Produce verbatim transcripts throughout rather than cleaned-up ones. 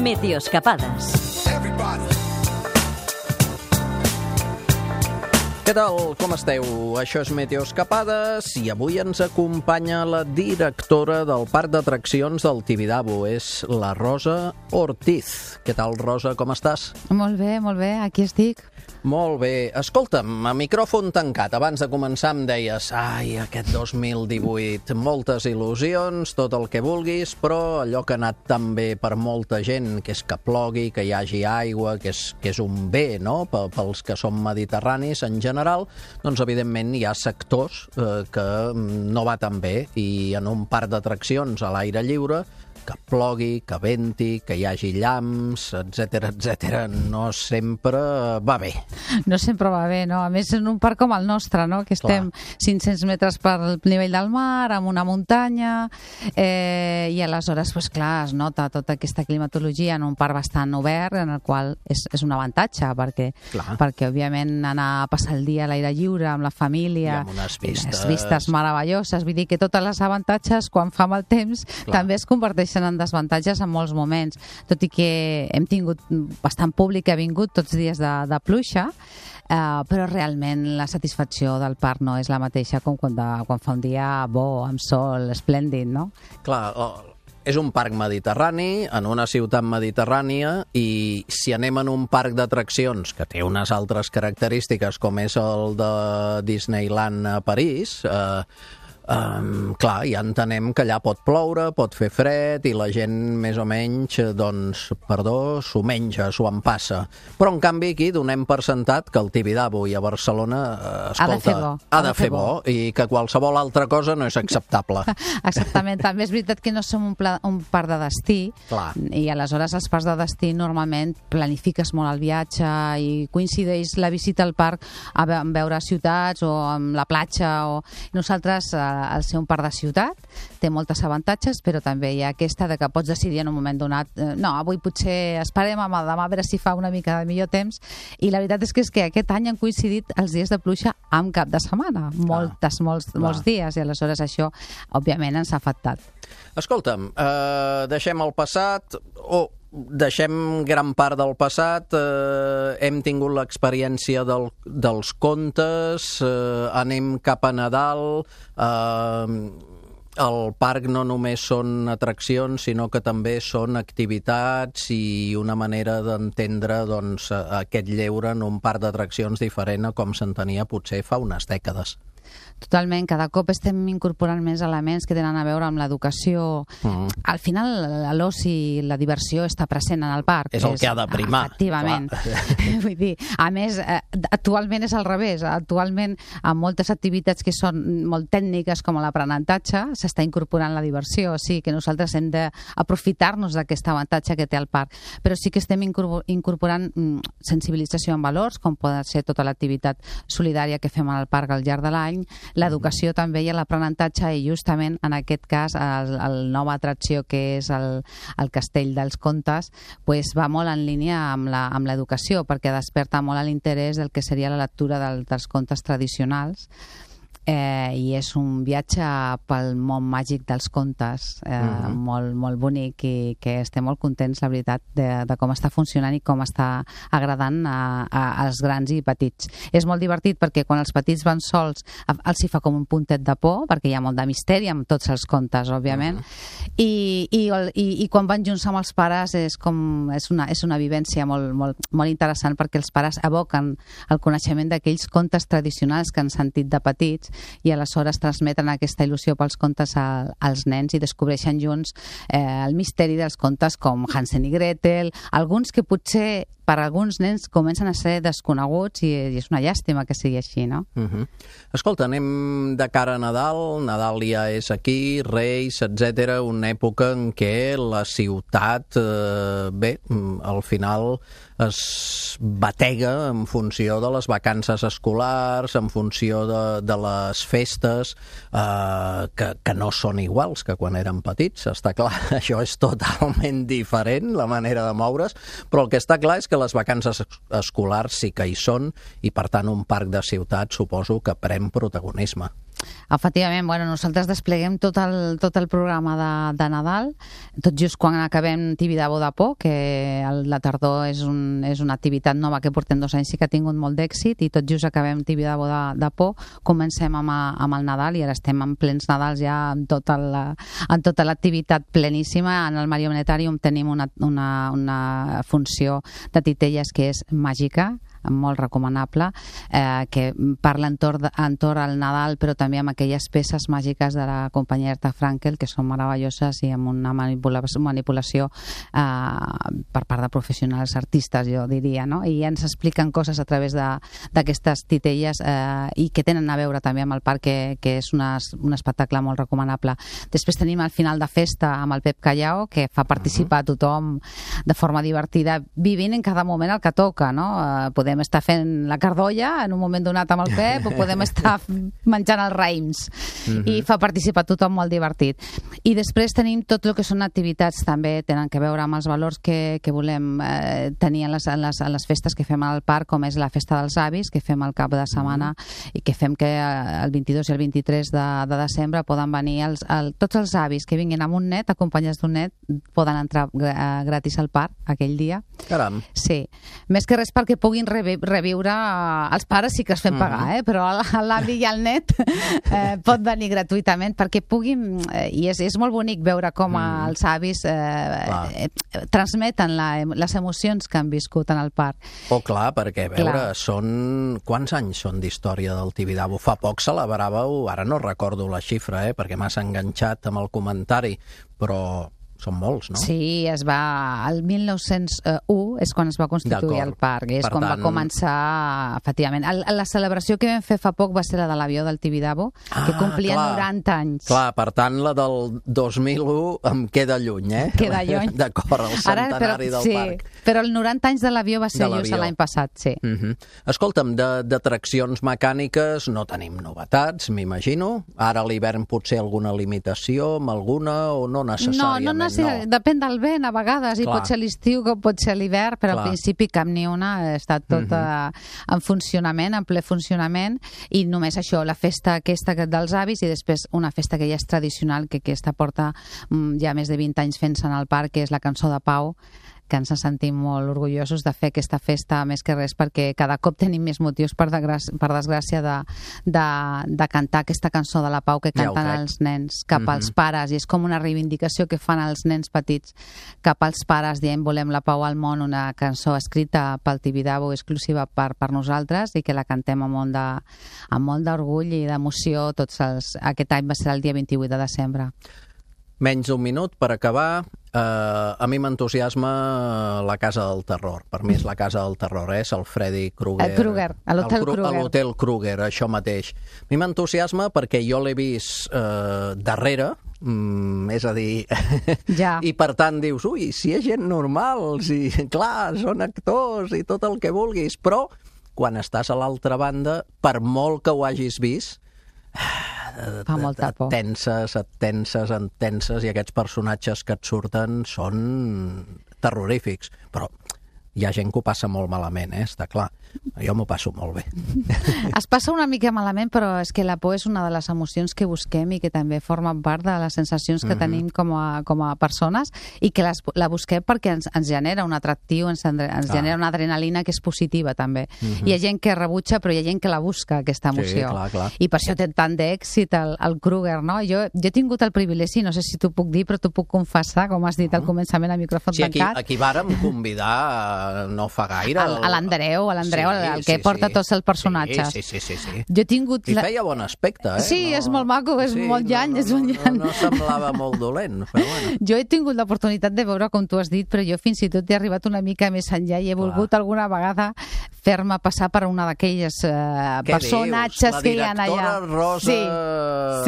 Meteoscapades. Què tal? Com esteu? Això és Meteoscapades i avui ens acompanya la directora del Parc d'Atraccions del Tibidabo. És la Rosa Ortiz. Què tal, Rosa? Com estàs? Molt bé, molt bé. Aquí estic. Molt bé. Escolta'm, a micròfon tancat, abans de començar em deies ai, aquest dos mil divuit, moltes il·lusions, tot el que vulguis, però allò que ha anat tan bé per molta gent, que és que plogui, que hi hagi aigua, que és, que és un bé, no?, pels que som mediterranis en general, doncs evidentment hi ha sectors eh, que no va tan bé, i en un parc d'atraccions a l'aire lliure, que plogui, que venti, que hi hagi llamps, etcètera, etcètera, no sempre va bé. No sempre va bé, no? A més, en un parc com el nostre, no?, que estem clar. cinc-cents metres per nivell del mar, amb una muntanya, eh, i aleshores, pues, clar, es nota tota aquesta climatologia en un parc bastant obert, en el qual és, és un avantatge, perquè, perquè, òbviament, anar a passar el dia a l'aire lliure, amb la família, i amb unes vistes, les vistes meravelloses, vull dir que totes les avantatges, quan fa mal temps, clar. també es converteixen en desavantatges en molts moments, tot i que hem tingut bastant públic que ha vingut tots dies de, de pluja, eh, però realment la satisfacció del parc no és la mateixa com quan, de, quan fa un dia bo, amb sol, esplèndid, no? Clar, oh, és un parc mediterrani, en una ciutat mediterrània, i si anem en un parc d'atraccions que té unes altres característiques, com és el de Disneyland a París, eh, Um, clar, ja entenem que allà pot ploure, pot fer fred i la gent més o menys, doncs, perdó, s'ho menja, s'ho empassa. Però en canvi aquí donem per sentat que el Tibidabo i a Barcelona, eh, escolta, ha de fer bo, ha de fer bo i que qualsevol altra cosa no és acceptable. Exactament, també és veritat que no som un, pla, un parc de destí, clar. I aleshores els parcs de destí normalment planifiques molt el viatge i coincideix la visita al parc a veure ciutats o amb la platja, o nosaltres al ser un parc de ciutat té moltes avantatges, però també hi ha aquesta de que pots decidir en un moment donat, eh, no, avui potser esperem a demà a veure si fa una mica de millor temps, i la veritat és que, és que aquest any han coincidit els dies de pluja amb cap de setmana, moltes, ah, molts, molts dies, i aleshores això òbviament ens ha afectat. Escolta'm, eh, deixem el passat, o oh, deixem gran part del passat, eh, hem tingut l'experiència del, dels contes, eh, anem cap a Nadal, eh, el parc no només són atraccions, sinó que també són activitats i una manera d'entendre, doncs, aquest lleure en un parc d'atraccions diferent a com s'entenia potser fa unes dècades. Totalment, cada cop estem incorporant més elements que tenen a veure amb l'educació. Mm. Al final, l'oci, la diversió està present en el parc. És el és, que ha de primar. Efectivament. Vull dir, a més, actualment és al revés. Actualment, amb moltes activitats que són molt tècniques, com l'aprenentatge, s'està incorporant la diversió. O sigui que nosaltres hem d'aprofitar-nos d'aquest avantatge que té el parc. Però sí que estem incorporant sensibilització en valors, com pot ser tota l'activitat solidària que fem al parc al llarg de l'any, l'educació també i l'aprenentatge, i justament en aquest cas el, el nova atracció que és el, el Castell dels Contes, pues va molt en línia amb la, amb l'educació, perquè desperta molt l'interès del que seria la lectura del, dels contes tradicionals. Eh, i és un viatge pel món màgic dels contes, eh, mm-hmm. molt, molt bonic, i que estem molt contents, la veritat, de, de com està funcionant i com està agradant a, a, als grans i petits. És molt divertit perquè quan els petits van sols els hi fa com un puntet de por, perquè hi ha molt de misteri amb tots els contes, òbviament, mm-hmm. I, i, i, i quan van junts amb els pares és, com, és, una, és una vivència molt, molt, molt interessant, perquè els pares evoquen el coneixement d'aquells contes tradicionals que han sentit de petits, i aleshores transmeten aquesta il·lusió pels contes a, als nens i descobreixen junts eh, el misteri dels contes com Hansel i Gretel, alguns que potser per alguns nens comencen a ser desconeguts, i, i és una llàstima que sigui així, no? Uh-huh. Escolta, anem de cara a Nadal, Nadal ja és aquí, Reis, etcètera, una època en què la ciutat, eh, bé, al final es batega en funció de les vacances escolars, en funció de, de les festes, eh, que, que no són iguals que quan érem petits, està clar, això és totalment diferent, la manera de moure's, però el que està clar és que que les vacances escolars sí que hi són, i per tant un parc de ciutat suposo que pren protagonisme. efectivament, bueno, nosaltres despleguem tot el, tot el programa de, de Nadal, tot just quan acabem Tibidabo de Por, que el, la tardor és, un, és una activitat nova que portem dos anys i que ha tingut molt d'èxit, i tot just acabem Tibidabo de, de Por, comencem amb, amb el Nadal, i ara estem en plens Nadals ja amb tota la, en tota l'activitat pleníssima. En el Marionetarium tenim una, una, una funció de titelles que és màgica, molt recomanable, eh, que parla entorn, entorn al Nadal, però també amb aquelles peces màgiques de la companyia Herta Frankel, que són meravelloses i amb una manipula manipulació eh, per part de professionals artistes, jo diria, no? I ens expliquen coses a través d'aquestes titelles eh, i que tenen a veure també amb el parc, que, que és una, un espectacle molt recomanable. Després tenim el final de festa amb el Pep Callao, que fa participar a tothom de forma divertida, vivint en cada moment el que toca, no? Eh, podem Podem estar fent la cardolla en un moment donat amb el Pep, o podem estar menjant els raïms, mm-hmm. i fa participar tothom molt divertit. I després tenim tot el que són activitats, també tenen que veure amb els valors que, que volem eh, tenir en les, en, les, en les festes que fem al parc, com és la festa dels avis, que fem al cap de setmana, mm-hmm. i que fem que el vint-i-dos i el vint-i-tres de, de desembre poden venir els, el, tots els avis que vinguin amb un net, acompanyats d'un net, poden entrar gratis al parc aquell dia. Caram. Sí. Més que res perquè puguin rebre reviure, els pares sí que es fem pagar, eh? Però l'avi i el net eh, pot venir gratuïtament perquè puguin, eh, i és, és molt bonic veure com mm. els avis eh, eh, transmeten la, les emocions que han viscut en el parc. Oh, clar, perquè, a veure, clar. Són... Quants anys són d'història del Tibidabo? Fa poc celebràveu, ara no recordo la xifra, eh, perquè m'has enganxat amb el comentari, però... són molts, no? Sí, es va... El mil nou-cents u és quan es va constituir el parc, és quan va començar, efectivament. El, la celebració que vam fer fa poc va ser la de l'avió del Tibidabo, ah, que complia clar. noranta anys. Clar, per tant, la del dos mil u em queda lluny, eh? Queda lluny. D'acord, el centenari Ara, però, del sí, parc. Però el noranta anys de l'avió va ser just l'any passat, sí. Uh -huh. Escolta'm, d'atraccions mecàniques no tenim novetats, m'imagino. Ara a l'hivern potser alguna limitació, amb alguna, o no necessàriament? No, no necessàriament. No. Depèn del vent, a vegades, i pot ser l'estiu com pot ser l'hivern, però Clar. al principi cap ni una, ha estat tot uh-huh. en funcionament, en ple funcionament, i només això, la festa aquesta dels avis, i després una festa que ja és tradicional, que aquesta porta ja més de vint anys fent-se en el parc, que és la Cançó de Pau, que ens sentim molt orgullosos de fer aquesta festa, més que res perquè cada cop tenim més motius, per, per desgràcia, de, de, de cantar aquesta cançó de la pau que canten ja els nens cap mm-hmm. als pares, i és com una reivindicació que fan els nens petits cap als pares, dient volem la pau al món, una cançó escrita pel Tibidabo, exclusiva per, per nosaltres, i que la cantem amb molt de, amb molt d'orgull i d'emoció. Tots els, aquest any va ser el dia vint-i-vuit de desembre. Menys d'un minut per acabar. Uh, a mi m'entusiasma la Casa del Terror. Per mi és la Casa del Terror, eh? És el Freddy Krueger. El Krueger, a l'Hotel Krueger. A l'Hotel Krueger, això mateix. A mi m'entusiasma perquè jo l'he vist uh, darrere, mm, és a dir... Ja. I per tant dius, ui, si hi ha gent normal, si, clar, són actors i tot el que vulguis, però quan estàs a l'altra banda, per molt que ho hagis vist, fa molta por. Et tenses, et tenses, et tenses, i aquests personatges que et surten són terrorífics. Però hi ha gent que ho passa molt malament, eh? Està clar. Jo m'ho passo molt bé. Es passa una mica malament, però és que la por és una de les emocions que busquem i que també formen part de les sensacions que mm-hmm. tenim com a, com a persones, i que les, la busquem perquè ens, ens genera un atractiu, ens, ens ah. genera una adrenalina que és positiva, també. Mm-hmm. Hi ha gent que rebutja, però hi ha gent que la busca, aquesta emoció. Sí, clar, clar. I per això té tant d'èxit el, el Krueger, no? Jo, jo he tingut el privilegi, no sé si t'ho puc dir, però t'ho puc confessar, com has dit al començament a micròfon sí, aquí, tancat. Aquí vàrem convidar no fa gaire... A l'Andreu, a l'Andreu, sí, el que sí, porta sí. tots els personatges. Sí, sí, sí, sí, sí. Jo he tingut... I feia bon aspecte, eh? Sí, no... és molt maco, és sí, molt llan, no, no, és un llan. No, no semblava molt dolent, però bueno. Jo he tingut l'oportunitat de veure, com tu has dit, però jo fins i tot he arribat una mica més enllà i he Clar. volgut alguna vegada fer-me passar per una d'aquelles uh, personatges que hi ha allà. La directora Rosa sí.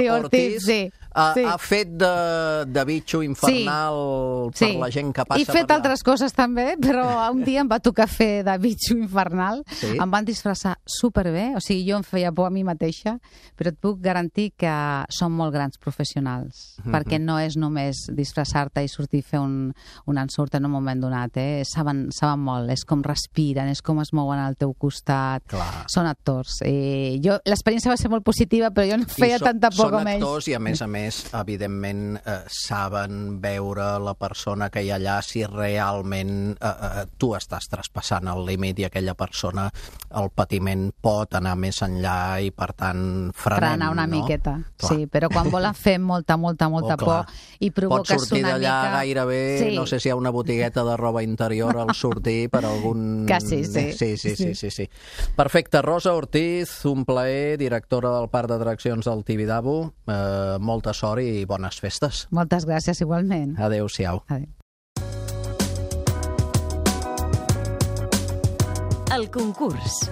Sí, Ortiz, Ortiz sí. Ha, sí. ha fet de, de bitxo infernal sí. per sí. la gent que passa I fet per altres coses també, però un dia em va tocar fer de bitxo infernal, Sí? em van disfressar superbé, o sigui, jo em feia por a mi mateixa, però et puc garantir que són molt grans professionals, Mhm. perquè no és només disfressar-te i sortir a fer un, un ensurt en un moment donat, eh? saben, saben molt, és com respiren, és com es mouen al teu costat, Clar. són actors. Eh, jo L'experiència va ser molt positiva, però jo no feia I so- tanta por com Són ells. actors i, a més a més, evidentment, eh, saben veure la persona que hi ha allà si realment eh, eh, tu estàs traspassant el límit i aquella persona, el patiment pot anar més enllà i, per tant, frenem, frenar una no? miqueta, Clar. sí, però quan volen fer molta, molta, molta Oh, clar. por i Pots provoques sortir una d'allà mica... gairebé, Sí. no sé si hi ha una botigueta de roba interior al sortir per algun... Quasi, sí. Sí, sí, sí, Sí. sí, sí. Perfecte. Rosa Ortiz, un plaer, directora del Parc d'Atraccions del Tibidabo. Eh, molta sort i bones festes. Moltes gràcies, igualment. Adéu-siau. Adéu. El concurs.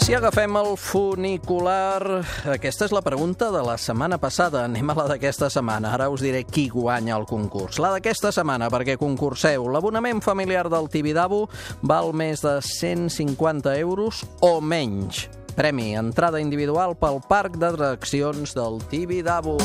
Si agafem el funicular, aquesta és la pregunta de la setmana passada. Anem a la d'aquesta setmana. Ara us diré qui guanya el concurs. La d'aquesta setmana, perquè concurseu. L'abonament familiar del Tibidabo val més de cent cinquanta euros o menys. Premi, entrada individual pel Parc d'Atraccions del Tibidabo.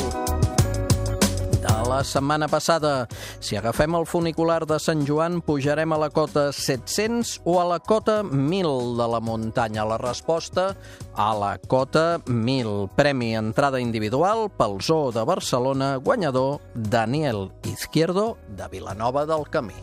De la setmana passada, si agafem el funicular de Sant Joan, pujarem a la cota set-cents o a la cota mil de la muntanya. La resposta, a la cota mil. Premi, entrada individual pel Zoo de Barcelona, guanyador Daniel Izquierdo de Vilanova del Camí.